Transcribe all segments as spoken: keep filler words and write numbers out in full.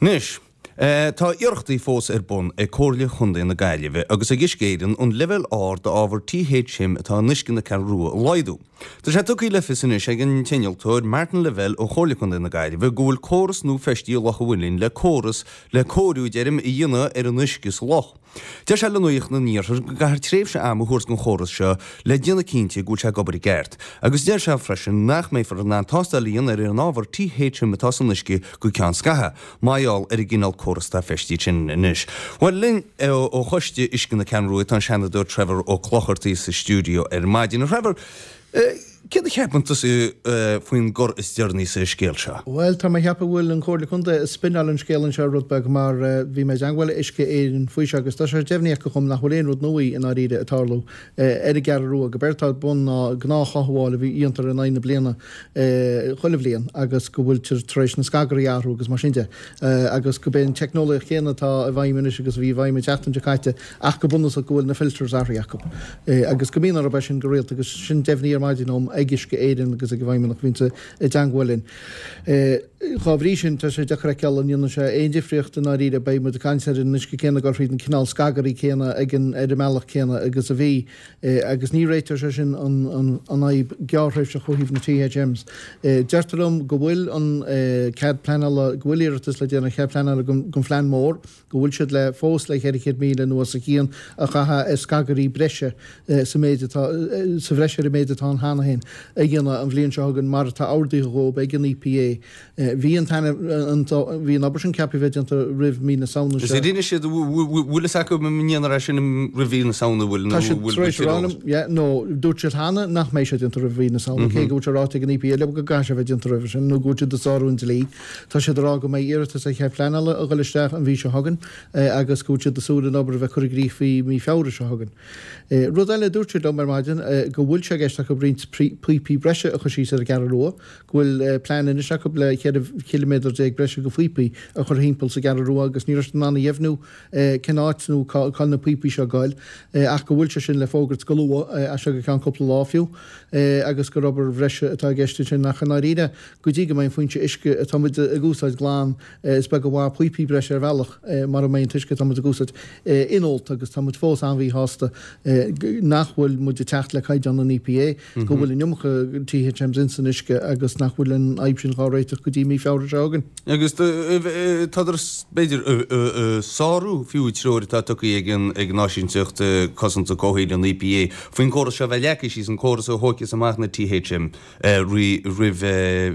Anois, tá iarrachtaí fós ar bun ag Comhairle Chontae na Gaillimhe agus ag Uisce Éireann an leibhéal ard d'ábhar T H M atá in uisce na Ceathrún Rua a laghdú. Tá sé tugtha le fios anois ag an t-innealtóir Martin Lavelle ó Chomhairle Chontae na Gaillimhe go bhfuil córas nua feistithe i Loch an Mhuilinn le córas le cóiriú deirim a dhéanamh ar an uisce sa loch. Deir sé le Nuacht an Iarthair go gcaithfear tréimhse ama a thabhairt don chóras seo le déanamh cinnte go bhfuil sé ag obair i gceart, agus deir sé freisin nach mbeifear in ann tástáil a dhéanamh ar an ábhar T H M atá san uisce go ceann scaithimh, mar gheall ar an gcineál córas atá feistithe sin anois. Bhuel linn ó Choiste Uisce na Ceathrún Rua tá an Seanadóir Trevor Ó Clochartaigh sa stiúideo ar maidin. Trevor, céard a cheapann tusa faoin gcor is deireanaí sa scéal seo? Bhuel, tá mé ag ceapadh go bhfuil an Chomhairle Contae ag spinneáil an scéal anseo rud beag mar bhí mé i dteangmháil le Uisce Éireann faoi seo agus tá sé deimhnithe acu dhom nach bhfuil aon rud nua i ndáiríre ag tarlú ar an gCeathrú Rua, gurb éard atá ar bun ná gnáthchothabháil a bhí dhéantar in aghaidh na bliana chuile bhliain agus go bhfuiltear tar éis na scagairí a athrú agus mar sin de agus gurb é an teicneolaíocht chéanna atá i bhfeidhm anois agus a bhí i bhfeidhm an tseachtain seo caite ach go bunúsach go bhfuil na filters athraithe acu agus go mbíonn orthu é sin go rialta agus sin deimhnithe ar maidin dhom ag Uisce Éireann agus ag an bhfeidhmeannach a bhíonn i dteangmháil linn. Dá bhrí sin, tá sé deacair a fheiceáil an ndéanann sé aon difríocht i ndáiríre, beidh muid ag caint ar an uisce céanna ag dul thríd an cineál scagairí céanna ag an ar an mbealach céanna agus a bhí, agus ní réiteoidh sé sin an an an fhadhb gearrthréimhseach ó thaobh na T H Ms. Deirtear liom go bhfuil an cead pleanála, go bhfuil iarratas le déanamh ar chead pleanála don phlean mór, go bhfuil siad le fós le ceithre chéad míle nó os a chionn a chaitheamh ar scagairí breise sa méid atá sa bhreis ar an méid atá ann cheana féin a dhéanamh an bhliain seo chugainn mar atá ordaithe dhóibh ag an E P A. Bhí an an bhí an obair sin ceaptha bheith déanta roimh mí na Samhna seo. Is rinne siad bhfuil fhios acu an ndéanfar é sin roimh mhí na Samhna bhfuil Tá siad tar éis a rá liom, yeah, nó dúirt siad cheana nach mbeidh sé déanta roimh mhí na Samhna, cé go bhfuil sé ráite ag an E P A leo go gcaithfidh sé bheith déanta roimhe sin nó go bhfuil siad ag sárú an dlí. Tá siad ag rá go mbeidh iarratas ar chead pleanála ag dul isteach an mhí seo chugainn agus go bhfuil siad ag súil an obair a bheith curtha i gcrích faoi mí Feabhra seo chugainn. Rud eile a dúirt siad liom ar maidin go bhfuil sé i gceist acu roinnt píopaí breise a chur síos ar an gCeathrú Rua, go bhfuil plean anois acu le ceithre chiliméadar déag breise de phíopaí a chur thimpeall sa gCeathrú Rua agus ní raibh siad in ann a dheimhniú cén áit nó cá bhfuil na píopaí seo ag goil ach go bhfuil sé sin le fógairt go luath, as seo go ceann cúpla lá fiú, agus gur obair bhreise atá i gceist ansin ach i ndáiríre go dtí go mbeidh an foinse uisce atá muid ag úsáid glan is beag an mhaith píopaí breise ar bhealach mara mbeidh an t-uisce atá muid ag úsáid inólta agus tá muid fós an-mhíshásta nach bhfuil muid ag teacht le caighdeán an E P A, go bhfuil an iomarca T H Ms ins an uisce agus nach bhfuil an fhadhb sin dhá réiteach go dtí mí Feabhra seo chugainn. Agus tádar b'fhéidir sárú fiú treoir atá tugtha ag an ag an Áisínteacht Cosanta Comhshaoil an E P A faoin gcóras seo bheith leagtha síos, an córas a thógfas amach na T H M roimh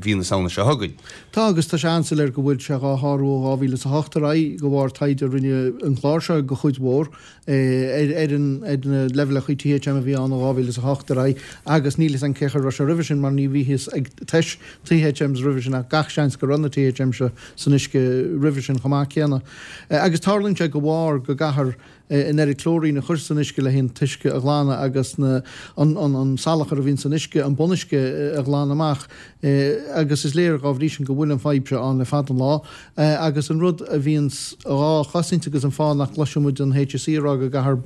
mhí na Samhna seo chugainn. Tá agus tá sé an-soiléir go bhfuil sé dhá shárú ó dhá mhíle is a hocht ar aghaidh de bharr taighde a rinne an clár seo go chuid mhór ar ar an ar na leibhéalacha T H M a bhí ann ó dhá mhíle is a hocht ar aghaidh agus níl fhios againn cé chaoi a raibh sé roimhe sin mar ní bhíothas ag tomhas T H Ms roimhe sin ach gach seans go raibh na T H M seo san uisce roimhe sin chomh maith céanna. Agus tarlaíonn sé de bharr go gcaithfear an oiread clóirín a chur san uisce le an t-uisce a ghlanadh agus na an an an salachar a bhíonn san uisce, an bunuisce a ghlanadh amach agus is léir dá bhrí sin go bhfuil an fhadhb seo ann le fada an lá. Agus an rud a bhíonns dhá chosaint agus an fáth nach gcloiseann muid an H S E ag rá go gcaithfear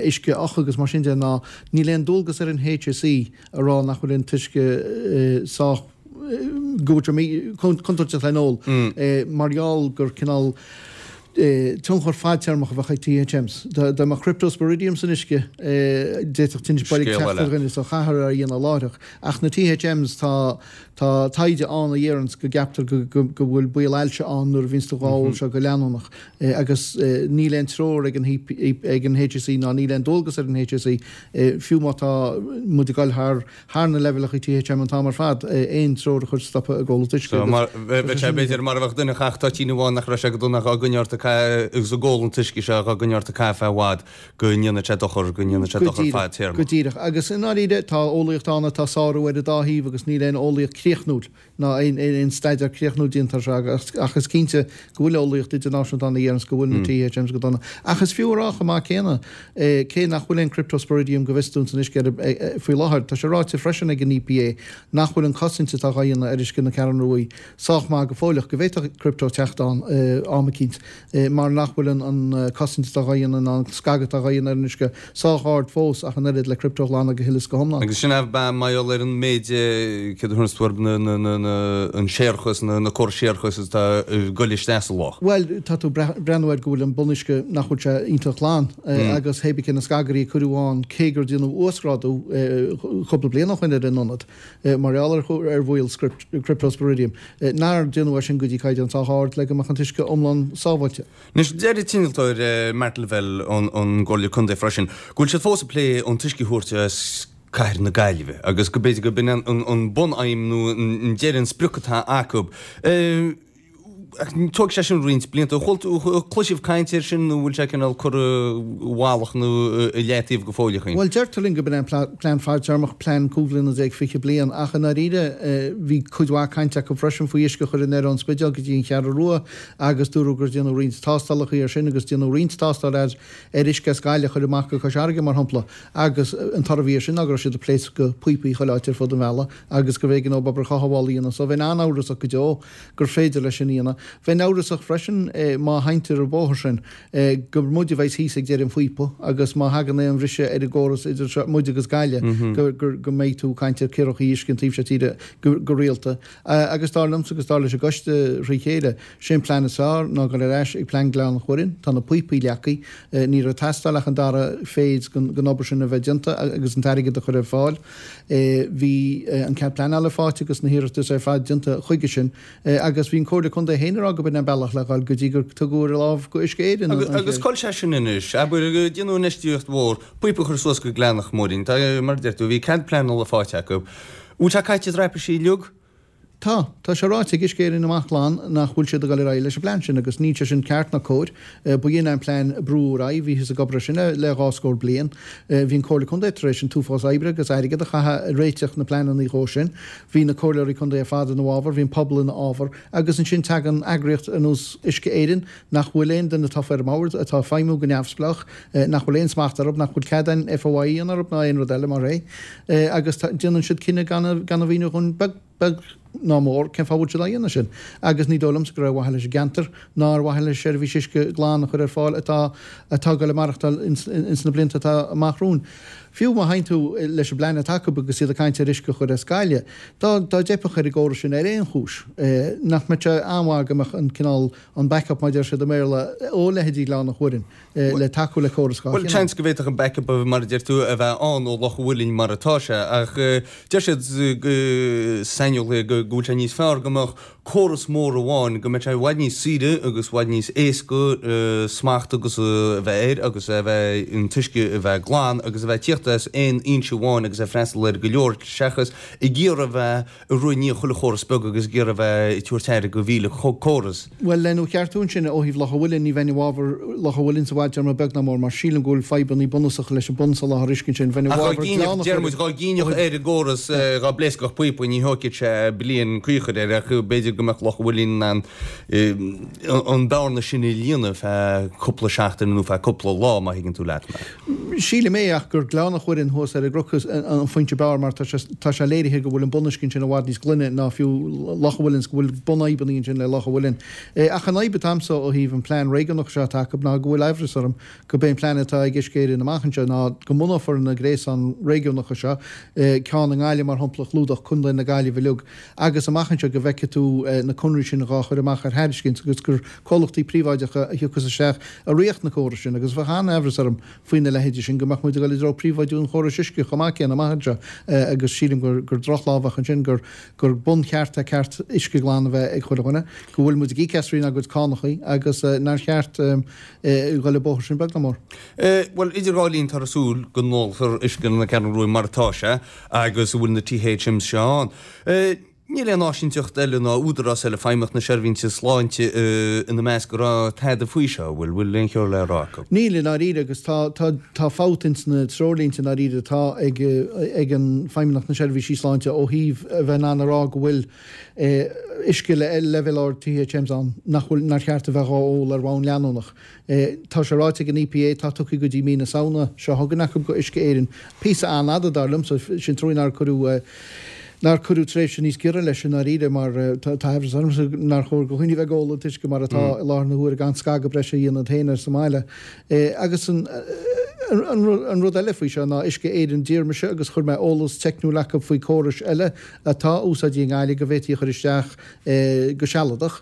uisce a fhiuchadh agus mar sin de ná níl aon dualgas ar an H S E a rá nach bhfuil an t-uisce sách go bhfuil sé contúirteach le n-ól mar gheall gur cineál tionchar fadtéarmach a bheadh ag T H Ms. Dá mbeadh Cryptosporidium san uisce d'fhéadfadh tinneas boilg Scéal teacht eile. ar dhuine so caithfear é a dhéanamh láithreach. Ach na T H Ms tá tá taighde ann a dhéaranns go gceaptar go go go bhfuil baol ailse ann nuair a bhíonns tú dhá ól seo go leanúnach agus níl aon treoir ag an ag an H S E ná níl aon dualgas ar an H S E fiú má tá muid ag dul thar thar na leibhéalacha T H M an t-am ar fad aon treoir a chur stopadh ag ól an t-uisce So agus mar bheadh sé b'fhéidir mar a bheadh duine ag toitín amháin nach raibh sé go dona dhá gcoinneáil ort agus ag ól an t-uisce seo dhá gcoinneáil ort caife i bhfad go ndéanfaidh sé dochar go ndéanfaidh sé Go dochar díreach, fadtéarmach. go díreach. Agus i ndáiríre tá eolaíocht ann atá sárú ar an dá thaobh agus níl aon eolaíocht críochnúil ná aon aon staidéar críochnúil déanta air seo ach is cinnte go bhfuil eolaíocht idirnáisiúnta ann a dhéaranns go bhfuil na T H Ms go dona. Ach is fiú a rá chomh maith céanna cé nach bhfuil aon Cryptosporidium go bhfios dúinn san uisce faoi láthair. Tá sé ráite freisin ag an E P A nach bhfuil an cosaint atá dhá dhéanamh ar uisce na Ceathrún Rua sách maith go fóilleach go bhféadfadh crypto teacht ann am eicínt mar nach bhfuil an cosaint atá dhá dhéanamh ná an scagadh atá dhá dhéanamh ar an uisce sách ard fós ach an oiread le crypto a ghlanadh go huile is go hiomlán. Agus sin ab ea mar gheall ar an méid céard a thabharfas tú orthu, an séarachas, na córais séarachais atá ag goil isteach sa loch? Bhuel, tá tú ag breathnú air go bhfuil an bunuisce nach bhfuil sé iontach glan agus hé bí cé na scagairí a cuireadh ann cé gur déanadh uasghrádú cúpla bliain ó shoin ar an ionad mar gheall ar bhaol Cryptosporidium, nár déanadh é sin go dtí caighdeán sách ard le go mbeadh an t-uisce iomlán sábháilte. Anois, deir an t-innealtóir Martin Lavelle ón gComhairle Contae freisin go bhfuil siad fós ag plé an t-uisce a thabhairt as cathair na Gaillimhe agus go b'fhéidir go b'in an bun-aidhm nó an deireadh, an sprioc atá acu. Ach tógfaidh sé sin roinnt blianta. An bhfuil tú, cloisibh caint air sin nó bhfuil sé cineál curtha i bhfalach nó i leataobh go fóilleach? Bhuel, deirtear linn go b'in é an plean fadtéarmach, plean cúig bhliana déag, fiche bliain, ach i ndáiríre bhí cuid mhaith cainte acu freisin faoi uisce a chur anoir ón Spidéal go dtí an Cheathrú Rua agus dúradh gur déanadh roinnt tástálacha air sin agus déanadh roinnt tástáil ar ar uisce as Gaillimh a chur amach go Cois Fharraige, mar shampla, agus an toradh a bhí air sin ná go raibh siad ag pléascadh píopaí chuile áit ar fud an bhealaigh agus gurbh éigean dóibh obair chothabhála a dhéanamh. So bheinn an-amhrasach go deo gur féidir leis sin a dhéanamh. Bheinn amhrasach freisin má sheinntear an bóthar sin gur muid a bheas thíos ag deireadh an phíopa agus má thagann aon bhriseadh ar an gcóras idir muid agus Gaillimh go mbeidh tú ag caint ar cíorachaí uisce an taobh seo tíre go rialta. Agus dar liomsa agus dar leis an gcoiste thrí chéile, sé an plean is fearr ná dul ar ais ag plean Ghleann an Mhuirinn. Tá na píopaí leagtha, ní raibh ag teastáil ach an dara phase den obair sin a bheith déanta agus an t-airgead a chur ar fáil. Bhí an cead pleanála faighte agus na hiarratais ar fad déanta chuige sin agus bhí an Comhairle Contae féin ag rá go b'in an bealach le dhul go dtí gur tugadh ar láimh go Uisce Éireann an Agus cá bhfuil sé sin anois? Abair, déanadh infheistíocht mhór, píopa a chur suas go Gleann an Mhuirinn, tá, mar a deir tú, bhí cead pleanála faighte acu. Bhfuil sé caite i dtraipisí uilig? Tá. Tá sé ráite ag Uisce Éireann amach glan nach bhfuil siad ag dul ar aghaidh leis an bplean sin agus níl sé sin ceart ná cóir. Ba shin an plean a brúdh ar aghaidh, bhíothas ag obair air sin le dhá scór bliain. Bhí an Comhairle Contae tar éis an t-uafás oibre agus airgead a chaitheamh ag réiteach na bpleananna dhó sin. Bhí na comhairleoirí contae ar fad ina bhfabhar, bhí an pobal ina fhábhar agus ansin tagann eagraíocht ar nós Uisce Éireann nach bhfuil aon duine tofa ar an mbord, atá ag feidhmiú go neamhspleách, nach bhfuil aon smacht orthu, nach bhfuil cead an FOI a dhéanamh orthu ná aon rud eile mar é agus déanann siad cinneadh gan a mhíniú dhúinn beag beag ná mór cén fáth a bhfuil siad á dhéanamh sin agus ní dóigh liomsa gur ar mhaithe leis an gceantar ná ar mhaithe le seirbhís uisce glan a chur ar fáil atá atá ag dul ag maireachtáil ins na blianta atá amach romhainn. Fiú má théann tú leis an bplean atá acu agus iad ag caint ar uisce a chur as Gaillimh, dá dá dteipfeadh ar an gcóras sin ar aon chúis, nach mbeadh sé an-mhaith go mbeadh an cineál an backup mar a deir siad i mBéarla ó leithéidí Ghleann an Mhuirinn le tacú le córas dhá Bhuel, chineál. seans go bhféadfadh an backup, mar a deir tú, a bheith ann ó Loch an Mhuilinn mar atá sé, ach deir siad, saineolaithe, go bhfuil sé níos fearr go mbeadh córas mór amháin, go mbeadh sé i bhfad níos saoire agus i bhfad níos éasca smacht agus a bheith air agus a bheith, an t-uisce a bheith glan agus a bheith ag tíocht as aon fhoinse amháin agus ag freastal ar go leor seachas ag iarraidh a bheith ag rith i ndiaidh chuile chóras beag agus ag iarraidh a bheith ag tabhairt aire go mhíle córas. Bhuel, le do cheartú ansin, ó thaobh Loch an Mhuilinn, ní bheinn i bhfabhar Loch an Mhuilinn sa bhfadtéarma, beag ná mór, mar sílim go bhfuil fadhbanna bunúsacha leis an bunsoláthar uisce ansin. Bheinn i Ach dá bhfabhar gcinneadh, Gleann an deir muid, Mhuilinn dá ó gcinneadh thaobh. ar an gcóras, dá bpléascfadh píopa, ní thógfadh sé bliain caor air, ach b'fhéidir go mbeadh Loch an Mhuilinn in ann an bearna sin a líonadh feadh cúpla seachtain nó feadh cúpla lá, má thuigeann tú leat mé. Sílim é ach gur Gleann an Mhuilinn thuas ar an gcnoc an foinse b'fhearr mar tá sé léirithe go bhfuil an bunuisce ansin i bhfad níos glaine ná fiú Loch an Mhuilinn 's go bhfuil bunfhadhbanna ansin le Loch an Mhuilinn. Ach an fhadhb atá a'msa ó thaobh an plean réigiúnach seo atá acu ná go bhfuil aimhreas orm go b'é an plean atá ag Uisce Éireann amach anseo ná go mbunófar na gréasáin réigiúnacha seo, ceann i nGaillimh mar shampla a chlúdódh Contae na Gaillimhe uilig, agus amach anseo go bhfeicfidh tú na conraí sin dhá chur amach ar thairiscint agus gur comhlachtaí príobháideacha a thiocfas isteach a rithfeadh na córais sin agus bheadh an-aimhreas orm faoina leithéidí sin go mbeadh muid ag dul i dtreo príobháidiú an chórais uisce chomh maith céanna amach anseo agus sílim gur gur drochlámhach a bheadh ansin gur gur buncheart é ceart uisce glan a bheith ag chuile dhuine, go bhfuil muid ag íoc as trínár gcuid cánachaí agus nár cheart dhul an bóthar sin beag ná mór. Bhuel, idir dhá linn táthar ag súil go n-ólfar uisce na Ceathrún Rua mar atá sé agus a bhfuil na THMs seo ann. Níl aon áisínteacht eile ná údarás eile, Feidhmeannacht na Seirbhíse Sláinte ina measc, a rá tada faoi seo, an bhfuil? Bhfuil aon cheo le rá acu? Níl, i ndáiríre, agus tá, tá, tá fabht ins na treoirlínte i ndáiríre atá ag, ag an Feidhmeannacht na Seirbhísí Sláinte ó thaobh a bheith in ann a rá go bhfuil uisce le leibhéal ard THMs ann nach bhfuil, nár cheart a bheith dhá ól ar bhonn leanúnach. Tá sé ráite ag an EPA, tá tugtha go dtí mí na Samhna seo chugainn acu go Uisce Éireann. Píosa an-fhada, dar liomsa, sin trua nár cuireadh. nár cuireadh tréimhse níos giorra leis i ndáiríre mar tá aimhreas ormsa nár chóir do dhaoine bheith ag ól an t-uisce mar atá i láthair na huaire gan scagadh breise a dhéanamh féin air sa mbaile. Agus an an rud eile faoi seo ná Uisce Éireann d'iarr mise agus chuir mé eolas teicniúil acu faoi córais eile atá úsáidte i nGaillimh go bhféadfaí a chur isteach go sealadach,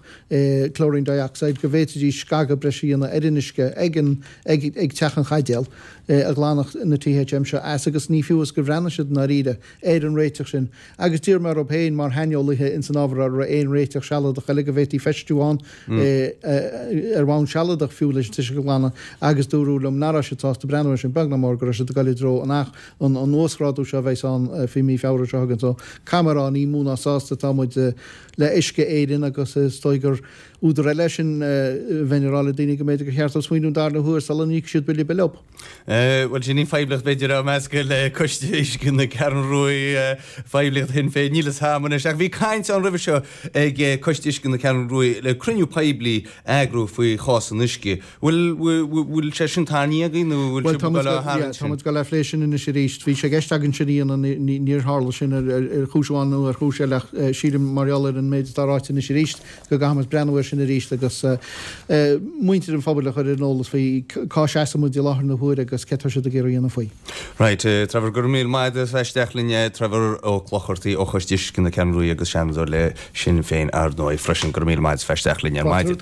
chlorine dioxide, go bhféadfaidís scagadh breise a dhéanamh ar an uisce ag an ag ag Teach an Chaidéil a ghlanfadh na THM seo as agus ní fiú is gur bhreathnaigh siad i ndáiríre ar an réiteach sin agus d'iarr mé orthu féin mar shaineolaithe ins an ábhar an raibh aon réiteach sealadach eile go bhféadfaí feistiú ann ar bhonn sealadach fiú leis an t-uisce a ghlanadh agus dúradh liom nach raibh siad sásta breathnú air sin beag ná mór go raibh siad ag dul i dtreo an an an uasghrádú seo a bheas ann faoi mí Feabhra seo chugainn so caithfidh mé a rá ní mó ná sásta atá muid le Uisce Éireann agus is dóigh gur údar eile é sin bheinn ag rá le daoine go mb'fhéidir gur cheart dóibh smaoineamh an darna huair sula n-íocfaidh siad bille bille leo. Bhuel, sin í an phoiblíocht b'fhéidir á meascadh le Coiste Uisce na Ceathrún Rua, phoiblíocht Shinn Féin, níl fhios a'm anois. Ach bhí caint ann roimhe seo ag Coiste Uisce na Ceathrún Rua le cruinniú poiblí a eagrú faoi chás an uisce. Bhfuil, bhfuil sé sin tarraingthe agaibh nó bhfuil sibh ag dul á tharraingt sin? Tá muid ag dul á phlé sin anois arís. Bhí sé i gceist againn sin a dhéanamh, níor tharla sin ar chúis amháin nó ar chúis eile ach sílim mar gheall ar an méid atá ráite anois arís go gcaithfimid breathnú air sin arís agus muintir an phobail a chur ar an eolas faoi cá seasann muid i láthair na huaire agus céard atá siad ag iarraidh a dhéanamh faoi. Right, Trevor, go raibh míle maith agat as bheith isteach linn, Trevor Ó Clochartaigh ó Choiste Uisce na Ceathrún Rua agus Seanadóir le Sinn Féin ar ndóigh freisin. Go raibh míle maith agat as bheith isteach linn ar maidin.